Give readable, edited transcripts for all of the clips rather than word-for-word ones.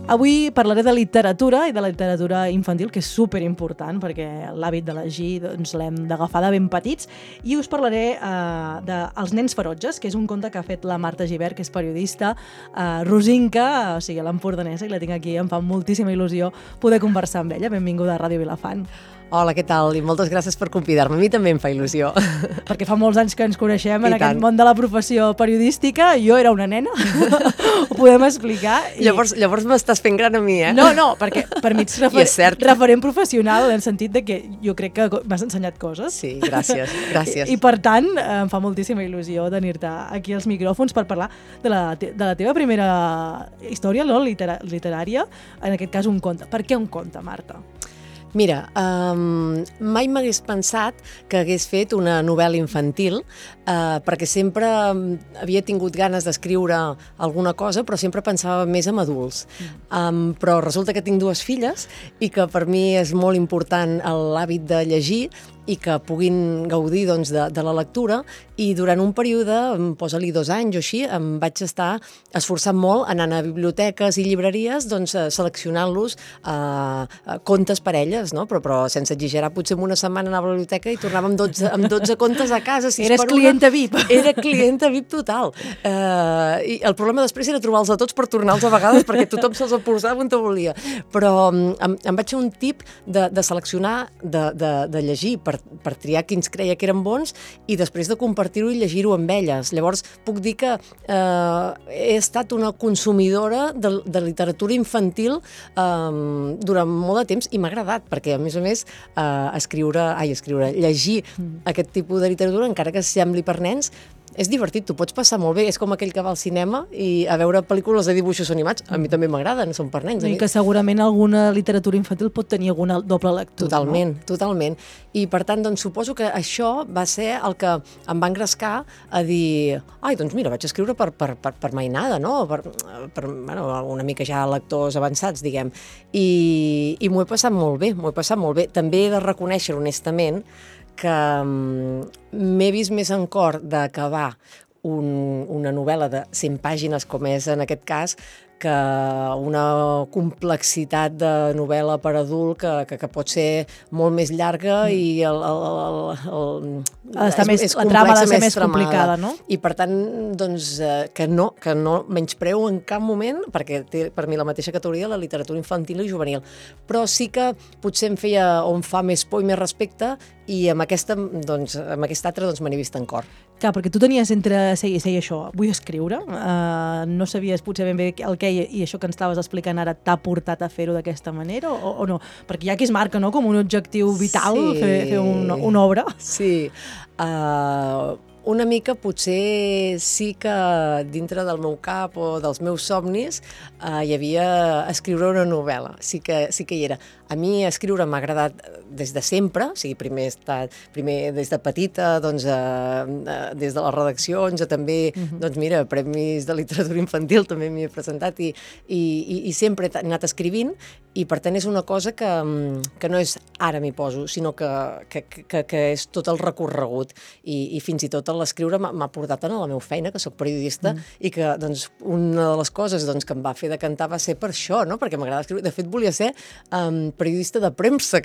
Avui parlaré de literatura i de la literatura infantil, que és superimportant perquè l'hàbit de llegir doncs, l'hem d'agafar de ben petits, i us parlaré de Els nens ferotges, que és un conte que ha fet la Marta Gibert, que és periodista rosinca, o sigui, l'empordanesa, i la tinc aquí, em fa moltíssima il·lusió poder conversar amb ella. Benvinguda a Ràdio Vilafant. Hola, què tal? I moltes gràcies per convidar-me. A mi també em fa il·lusió. Perquè fa molts anys que ens coneixem en aquest món de la professió periodística. Jo era una nena, ho podem explicar. Llavors m'estàs fent gran a mi, eh? No, perquè per mi ets referent professional en el sentit de que jo crec que m'has ensenyat coses. Sí, gràcies. I per tant, em fa moltíssima il·lusió tenir-te aquí als micròfons per parlar de la teva primera història, no? Literària, en aquest cas un conte. Per què un conte, Marta? Mira, mai m'hagués pensat que hagués fet una novel·la infantil, perquè sempre havia tingut ganes d'escriure alguna cosa, però sempre pensava més en adults. Però resulta que tinc dues filles i que per mi és molt important l'hàbit de llegir i que puguin gaudir doncs, de la lectura, i durant un període, posa-li 2 anys o així, em vaig estar esforçant molt anant a biblioteques i llibreries doncs, seleccionant-los contes per elles, no? Però sense exagerar, potser en una setmana anava a la biblioteca i tornava amb 12 contes a casa. Eres clienta VIP. Era clienta VIP total. I el problema després era trobar-los a tots per tornar-los a vegades, perquè tothom se'ls posava on te volia. Però em vaig fer un tip de seleccionar, de llegir, per triar quins creia que eren bons i després de compartir-ho i llegir-ho amb elles. Llavors, puc dir que he estat una consumidora de literatura infantil durant molt de temps i m'ha agradat, perquè a més, llegir aquest tipus de literatura, encara que sembli per nens, és divertit, t'ho pots passar molt bé. És com aquell que va al cinema i a veure pel·lícules de dibuixos animats. A mi també m'agraden, són per nens. I que segurament alguna literatura infantil pot tenir alguna doble lectura. Totalment. I per tant, doncs, suposo que això va ser el que em va engrescar a dir, doncs mira, vaig escriure per mainada, no? Per una mica ja lectors avançats, diguem. I m'ho he passat molt bé. També he de reconèixer honestament que m'he vist més en cor d'acabar una novel·la de 100 pàgines, com és en aquest cas, que una complexitat de novel·la per adult que pot ser molt més llarga i la trama ha de ser més complicada, no? I per tant, doncs, que no menyspreo en cap moment, perquè té per mi la mateixa categoria la literatura infantil i juvenil. Però sí que potser em fa més por i més respecte, i amb aquesta altra me n'he vist en cor. Clar, perquè tu tenies entre ser això, vull escriure, no sabies potser ben bé el que i això que ens estaves explicant ara t'ha portat a fer-ho d'aquesta manera o no? Perquè hi ha qui es marca, no?, com un objectiu vital, fer una obra. Sí, una mica potser sí que dintre del meu cap o dels meus somnis hi havia escriure una novel·la, sí que hi era. A mi escriure m'ha agradat des de sempre, o sigui, primer des de petita, doncs, des de les redaccions, també, doncs mira, premis de literatura infantil també m'hi he presentat i sempre he anat escrivint, i per tant és una cosa que no és ara m'hi poso, sinó que és tot el recorregut, i fins i tot l'escriure m'ha portat a la meva feina, que soc periodista, i que doncs, una de les coses que em va fer decantar va ser per això, no? Perquè m'agrada escriure. De fet, volia ser periodista de premsa.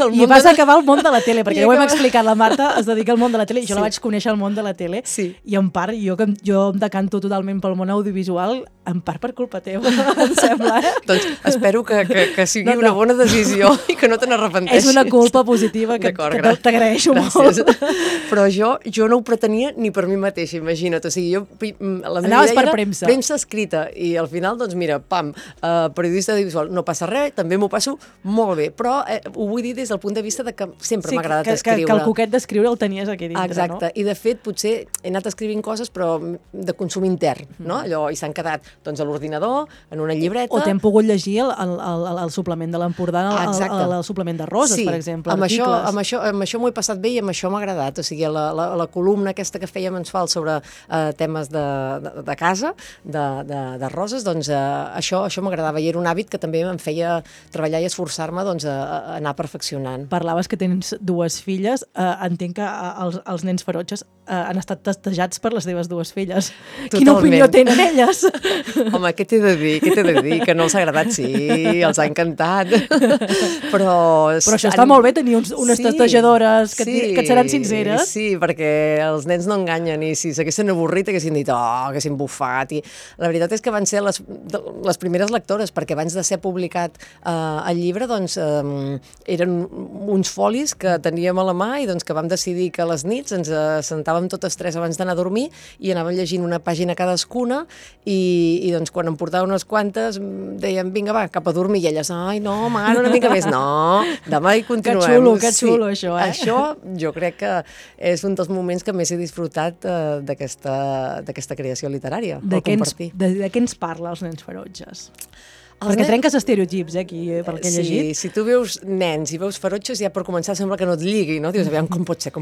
I vas acabar al món de la tele, perquè ja ho hem explicat, la Marta es dedica al món de la tele, i jo la vaig conèixer al món de la tele, i en part jo em decanto totalment pel món audiovisual, en part per culpa teva, em sembla, Doncs espero que sigui una bona decisió i que no te n'arrepenteixis. És una culpa positiva que t'agraeixo molt. Però jo no ho pretenia ni per mi mateixa, imagina't. O sigui, anaves per premsa. Premsa escrita, i al final, doncs mira, periodista audiovisual, no passa res, també m'ho passo molt bé, però ho vull dir des del punt de vista de que sempre m'ha agradat escriure. Que el coquet d'escriure el tenies aquí dintre, exacte, no? I de fet potser he anat escrivint coses però de consum intern, no? Allò, i s'han quedat doncs, a l'ordinador, en una llibreta. O t'hem pogut llegir el suplement de l'Empordà, el suplement de Roses, per exemple, articles. Amb això m'ho he passat bé i amb això m'ha agradat, o sigui, la columna aquesta que fèiem mensual sobre temes de casa, de Roses, doncs això m'agradava, i era un hàbit que també em feia treballar i esforçar-me doncs, a anar perfeccionant. Parlaves que tens dues filles, entenc que els nens ferotges han estat testejats per les teves dues filles. Totalment. Quina opinió tenen elles? Home, què t'he de dir? Que no els ha agradat, sí, els ha encantat. Però això està molt bé, tenir unes testejadores que et seran sinceres. Sí, perquè els nens no enganyen, i si s'haguessin avorrit haguessin dit, haguessin bufat. I la veritat és que van ser les primeres lectores, perquè abans de ser publicat el llibre, doncs, eren uns folis que teníem a la mà i doncs que vam decidir que a les nits ens sentàvem totes tres abans d'anar a dormir i anàvem llegint una pàgina cadascuna i doncs quan em portava unes quantes dèiem, vinga, va, cap a dormir, i elles, ai, no, mare, una mica més, no, demà hi continuem. Que xulo, això, Això jo crec que és un dels moments que més he disfrutat d'aquesta creació literària, per compartir. De què ens parla Els nens ferotges? Perquè trenques estereotips, aquí, pel que he llegit. Sí, si tu veus nens i veus ferotges, ja per començar sembla que no et lligui, no? Dius, aviam, com pot ser?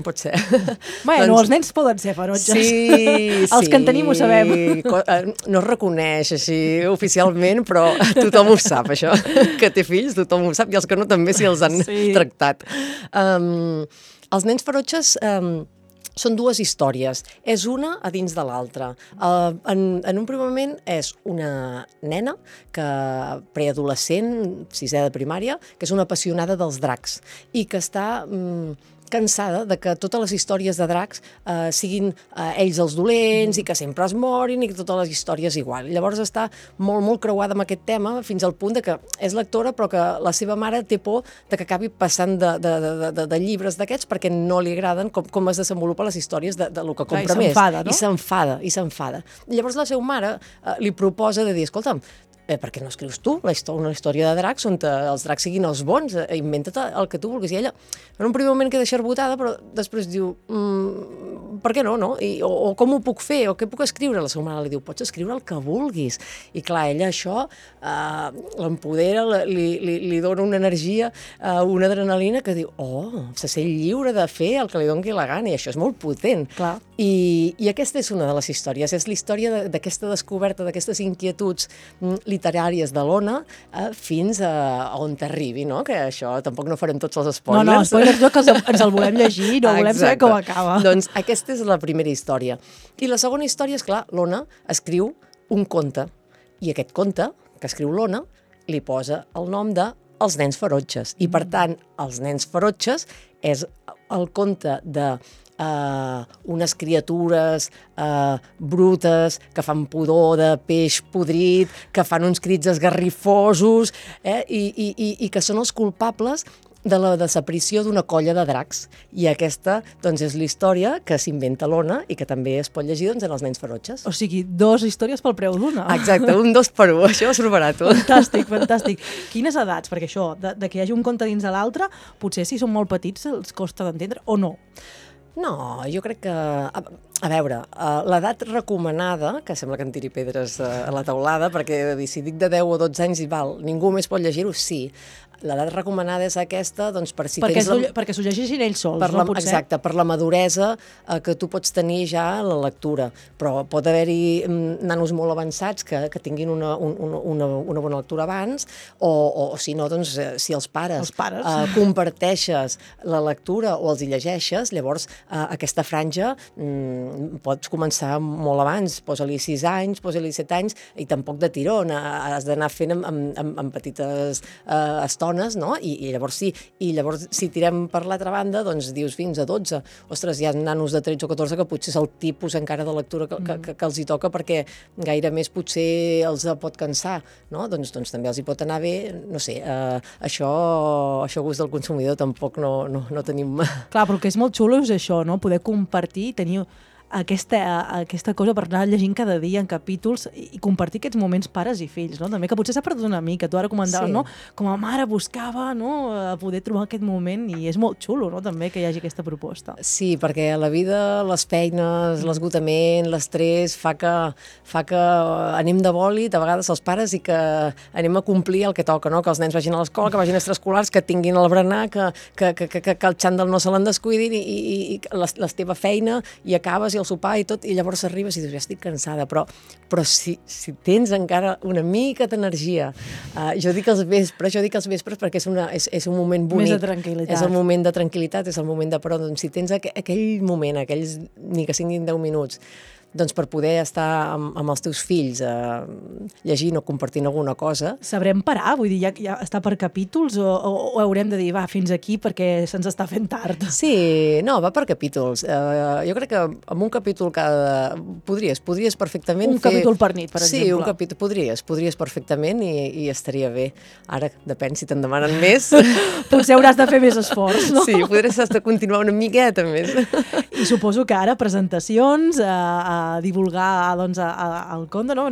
Bueno, els nens poden ser ferotges. Sí. Els que en tenim ho sabem. No es reconeix així oficialment, però tothom ho sap, això. Que té fills, tothom ho sap, i els que no també si els han tractat. Els nens ferotges són dues històries. És una a dins de l'altra. En un primer moment és una nena preadolescent, sisè de primària, que és una apassionada dels dracs i que està cansada de que totes les històries de dracs siguin ells els dolents i que sempre es morin i que totes les històries igual. Llavors està molt, molt creuada amb aquest tema fins al punt de que és lectora però que la seva mare té por de que acabi passant de llibres d'aquests perquè no li agraden com es desenvolupen les històries de lo que compra més. I s'enfada, no? I s'enfada. Llavors la seva mare li proposa de dir, escolta'm, per què no escrius tu una història de dracs on els dracs siguin els bons? Inventa't el que tu vulguis. I ella, en un primer moment queda xerbotada, però després diu, per què no? O com ho puc fer? O què puc escriure? La seva mare li diu, pots escriure el que vulguis. I clar, ella això l'empodera, li dona una energia, una adrenalina que diu, se sent lliure de fer el que li doni la gana, i això és molt potent. Clar. I aquesta és una de les històries, és la història d'aquesta descoberta, d'aquestes inquietuds literàries de l'Ona fins a on t'arribi, no? Que això tampoc no farem tots els spoilers. No, spoilers no, que ens el volem llegir, no volem saber com acaba. Doncs aquesta és la primera història. I la segona història és, clar, l'Ona escriu un conte, i aquest conte que escriu l'Ona li posa el nom de Els nens ferotges. I, per tant, Els nens ferotges és el conte de unes criatures brutes que fan pudor de peix podrit, que fan uns crits esgarrifosos i que són els culpables de la desaparició d'una colla de dracs. I aquesta doncs, és la història que s'inventa l'Ona i que també es pot llegir en Els nens ferotges. O sigui, 2 històries pel preu d'una. Exacte, un 2 per 1, això és superbarat. Fantàstic. Quines edats? Perquè això, de que hi hagi un conte dins de l'altre, potser si són molt petits els costa d'entendre o no? No, jo crec que... A veure, l'edat recomanada, que sembla que em tiri pedres a la teulada, perquè si dic de 10 o 12 anys i ningú més pot llegir-ho, sí. L'edat recomanada és aquesta, doncs, per si tens... Perquè s'ho llegeixin ells sols, no? Potser? Exacte, per la maduresa que tu pots tenir ja a la lectura. Però pot haver-hi nanos molt avançats que tinguin una bona lectura abans, o si no, doncs, si els pares comparteixes la lectura o els hi llegeixes, llavors aquesta franja pots començar molt abans, posa-li 6 anys, posa-li 7 anys, i tampoc de tirón, has d'anar fent amb petites estones, no? I llavors sí, i llavors si tirem per l'altra banda, doncs dius fins a 12. Ostres, hi ha nanos de 13 o 14 que potser és el tipus encara de lectura que els hi toca, perquè gaire més potser els pot cansar, no? Doncs també els hi pot anar bé, no sé, això a gust del consumidor tampoc no tenim... Clar, però el que és molt xulo és això, no? Poder compartir, tenir aquesta cosa per anar llegint cada dia en capítols i compartir aquests moments pares i fills, no? També que potser s'ha perdut una mica, tu ara comentaves, no? Com a mare buscava, no? A poder trobar aquest moment, i és molt xulo, no? També que hi hagi aquesta proposta. Sí, perquè a la vida les feines, l'esgotament, l'estrès fa que anem de bòlit a vegades els pares i que anem a complir el que toca, no? Que els nens vagin a l'escola, que vagin a extraescolars, que tinguin el berenar, que el xandall no se l'en descuidin i la teva feina, i acabes i el sopar i tot, i llavors arribes i dius, ja estic cansada, però si tens encara una mica d'energia, jo dic els vespres perquè és un moment bonic. Més de tranquil·litat. És el moment de tranquil·litat, és el moment de però, doncs si tens aquell moment, aquells ni que siguin 10 minuts, doncs per poder estar amb els teus fills llegint o compartint alguna cosa. Sabrem parar? Vull dir, ja està per capítols o haurem de dir, va, fins aquí perquè se'ns està fent tard? Sí, no, va per capítols. Jo crec que amb un capítol cada... Podries perfectament fer... Un capítol per nit, per exemple. Sí, un capítol, podries perfectament i estaria bé. Ara, depèn si te'n demanen més. Potser hauràs de fer més esforç, no? Sí, podries continuar una miqueta més. I suposo que ara presentacions, a divulgar doncs, el conte, no?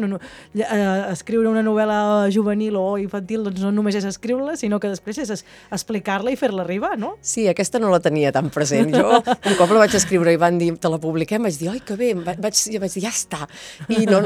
Escriure una novel·la juvenil o infantil doncs no només és escriure-la, sinó que després és explicar-la i fer-la arribar, no? Sí, aquesta no la tenia tan present. Jo un cop la vaig escriure i van dir, te la publiquem, vaig dir, oi, que bé, vaig dir, ja està. I no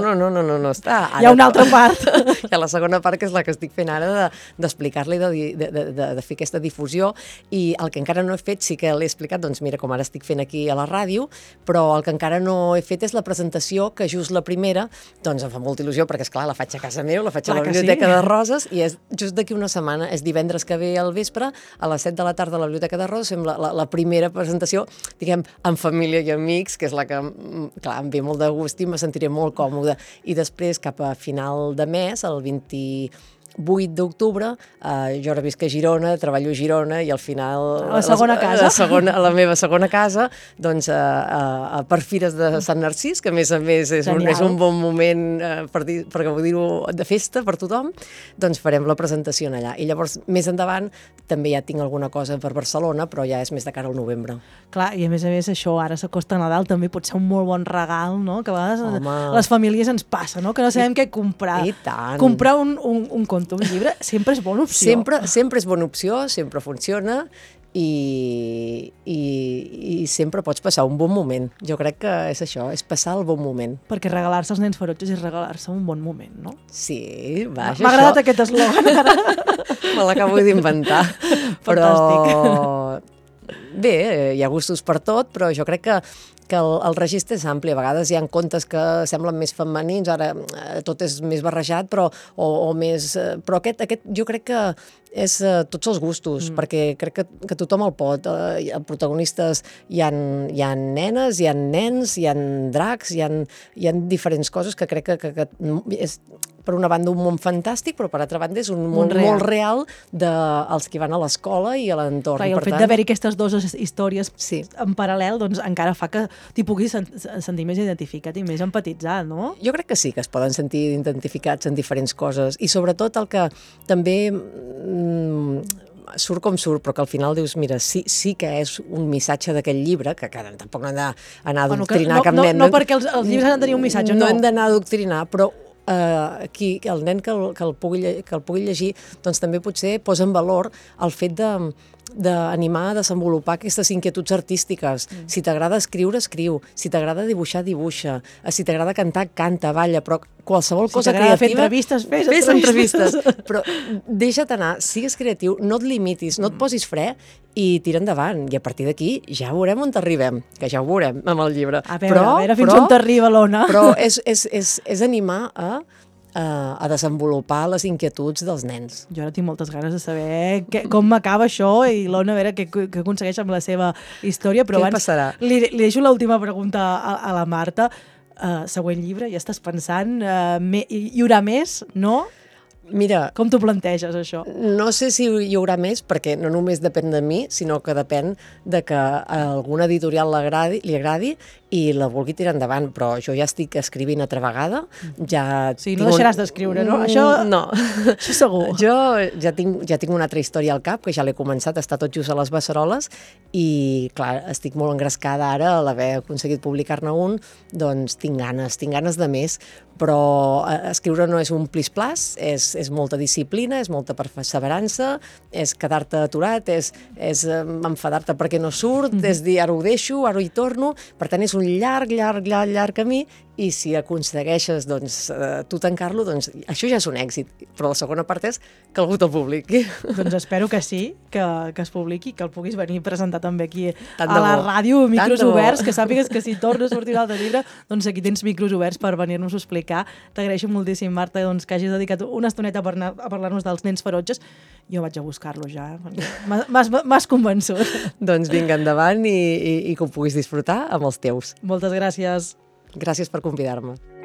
està. Ara, hi ha una altra part. Hi ha la segona part, que és la que estic fent ara, d'explicar-la i de fer aquesta difusió, i el que encara no he fet, sí que l'he explicat, doncs mira, com ara estic fent aquí a la ràdio, però el que encara no he fet és la presentació, que just la primera, doncs em fa molta il·lusió, perquè esclar, la faig a casa meu, la faig a la Biblioteca de Roses, i és just d'aquí una setmana, és divendres que ve al vespre, a les 7 de la tarda a la Biblioteca de Roses, fem la primera presentació, diguem, en família i amics, que és la que, clar, em ve molt de gust i me sentiré molt còmoda. I després, cap a final de mes, el 28 d'octubre, jo ara visc a Girona, treballo a Girona i al final... A la segona casa. A la meva segona casa, doncs per Fires de Sant Narcís, que a més és un bon moment, per dir-ho, de festa per tothom, doncs farem la presentació allà. I llavors, més endavant, també ja tinc alguna cosa per Barcelona, però ja és més de cara al novembre. Clar, i a més això, ara s'acosta Nadal, també pot ser un molt bon regal, no? Que a vegades les famílies ens passa, no? Que no sabem què comprar. I tant. Comprar un conte, un llibre, sempre és bona opció. Sempre és bona opció, sempre funciona i sempre pots passar un bon moment. Jo crec que és això, és passar el bon moment. Perquè regalar-se als nens ferotges és regalar-se un bon moment, no? Sí, vaja, m'ha agradat aquest eslògan ara. Me l'acabo d'inventar. Però bé, hi ha gustos per tot, però jo crec que el registre és ampli. A vegades hi ha contes que semblen més femenins, ara tot és més barrejat, però aquest jo crec que és tots els gustos, perquè crec que tothom el pot. Els protagonistes hi ha nenes, hi ha nens, hi ha dracs, hi ha diferents coses que crec que és, per una banda, un món fantàstic, però per altra banda és un món molt real dels que van a l'escola i a l'entorn. I el fet d'haver-hi aquestes dues històries en paral·lel doncs encara fa que t'hi puguis sentir més identificat i més empatitzat, no? Jo crec que sí, que es poden sentir identificats en diferents coses, i sobretot el que també surt com surt, però que al final dius, mira, sí que és un missatge d'aquest llibre, que tampoc no hem d'anar a adoctrinar cap nen. No perquè els llibres han de tenir un missatge, no. No hem d'anar a adoctrinar, però aquí el nen que el pugui llegir, doncs també potser posa en valor el fet d'animar a desenvolupar aquestes inquietuds artístiques. Si t'agrada escriure, escriu. Si t'agrada dibuixar, dibuixa. Si t'agrada cantar, canta, balla, però qualsevol cosa creativa... Si t'agrada fer entrevistes, fes entrevistes. Però deixa't anar, sigues creatiu, no et limitis, no et posis fre i tira endavant. I a partir d'aquí ja veurem on t'arribem, que ja ho veurem amb el llibre. A veure fins on t'arriba l'Ona. Però és animar a desenvolupar les inquietuds dels nens. Jo ara tinc moltes ganes de saber com m'acaba això i l'Ona a veure què aconsegueix amb la seva història, però abans passarà? Li deixo l'última pregunta a la Marta. Següent llibre, ja estàs pensant, hi haurà més, no? Mira, com t'ho planteges, això? No sé si hi haurà més, perquè no només depèn de mi, sinó que depèn de que a alguna editorial li agradi i la vulgui tirar endavant, però jo ja estic escrivint altra vegada. Sí, no deixaràs d'escriure, no? No. Això segur. Jo ja tinc una altra història al cap, que ja l'he començat, està tot just a les beceroles, i clar, estic molt engrescada ara a l'haver aconseguit publicar-ne un, doncs tinc ganes de més, però escriure no és un plis-plas, és molta disciplina, és molta perseverança, és quedar-te aturat, és enfadar-te perquè no surt, és dir ara ho deixo, ara hi torno, per tant és un llarg camí i si aconsegueixes tu tancar-lo, doncs això ja és un èxit. Però la segona part és que algú te'l publiqui. Doncs espero que sí, que es publiqui, que el puguis venir a presentar també aquí Tant a de la bo. ràdio, micros Tant de bo. oberts, que sàpigues que si torna a sortir l'altre llibre, doncs aquí tens micros oberts per venir-nos a explicar. T'agraeixo moltíssim, Marta, doncs, que hagis dedicat una estoneta a parlar-nos dels nens ferotges. Jo vaig a buscar-lo ja, m'has convençut. Doncs vinga, endavant i que ho puguis disfrutar amb els teus. Moltes gràcies. Gràcies per convidar-me.